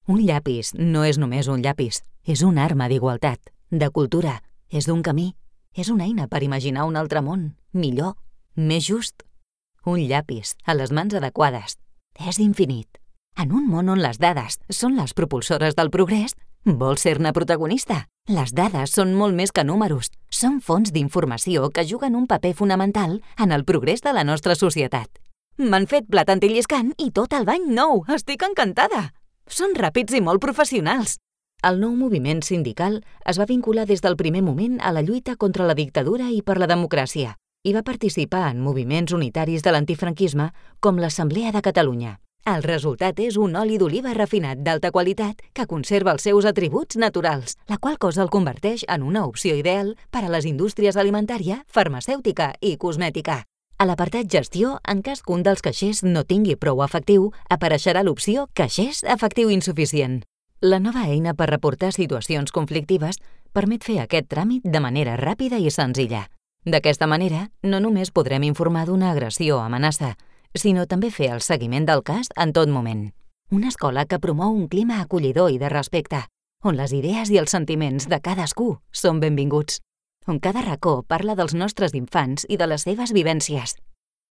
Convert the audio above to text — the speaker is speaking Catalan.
Un llapis no és només un llapis, és una arma d'igualtat, de cultura, és d'un camí, és una eina per imaginar un altre món, millor, més just. Un llapis, a les mans adequades, és infinit. En un món on les dades són les propulsores del progrés, vols ser-ne protagonista? Les dades són molt més que números, són fonts d'informació que juguen un paper fonamental en el progrés de la nostra societat. M'han fet plat antilliscant i tot el bany nou, estic encantada! Són ràpids i molt professionals. El nou moviment sindical es va vincular des del primer moment a la lluita contra la dictadura i per la democràcia i va participar en moviments unitaris de l'antifranquisme com l'Assemblea de Catalunya. El resultat és un oli d'oliva refinat d'alta qualitat que conserva els seus atributs naturals, la qual cosa el converteix en una opció ideal per a les indústries alimentària, farmacèutica i cosmètica. A l'apartat Gestió, en cas que un dels caixers no tingui prou efectiu, apareixerà l'opció Caixers efectiu insuficient. La nova eina per reportar situacions conflictives permet fer aquest tràmit de manera ràpida i senzilla. D'aquesta manera, no només podrem informar d'una agressió o amenaça, sinó també fer el seguiment del cas en tot moment. Una escola que promou un clima acollidor i de respecte, on les idees i els sentiments de cadascú són benvinguts, on cada racó parla dels nostres infants i de les seves vivències.